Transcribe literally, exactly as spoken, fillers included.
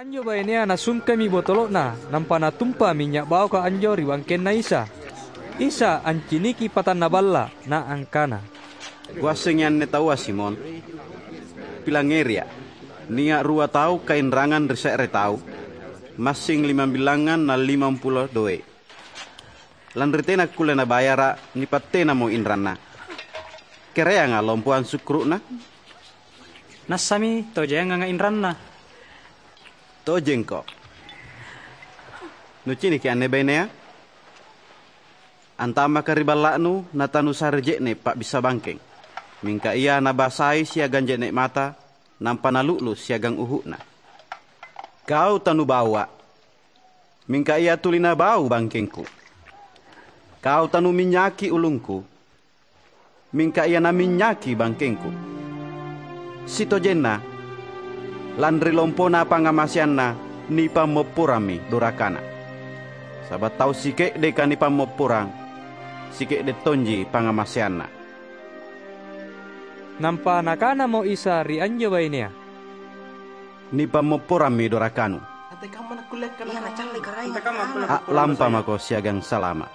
Anjo bainea nasungkemi botolo'na, nampa natumpa minynya’ baoka anjo ri bangkenNa Isa. Isa anciniki patanna balla’, naangkana, "Kuassengi anne taua, Simon. Pilangngeria’. Nia’ rua tau kainrangang ri se're tau, massing limambilangngang na limampulo doe’. Lanri tena akkulle nabayara’, nipattenamo inranna. Kereanga lompo ansukkuru'na?" "Nassami tau jaenganga inranna." "Tojengko. Nuciniki anne bainea? Antammaka ri balla'nu natanusare je'ne’ pa'bissa bangkeng. Mingka ia nabasai siagang je'ne’ mata, nampa nalu'lu’ siagang uhu'na. Kau tanubaua’, mingka ia tuli nabau bangkengku. Kau tanuminynyaki ulungku, mingka ia naminnyaki bangkengku. Sitojenna, lanri lompona pangngamaseanna nipammopporammi dorakana. Saba’ tau sike'deka nipammopporang, sike'de’ tonji pangngamaseanna." Nampa Nakanamo Isa ri anjo bainea, "Nipammopporammi dorakanu. A'lampamako siagang salama’."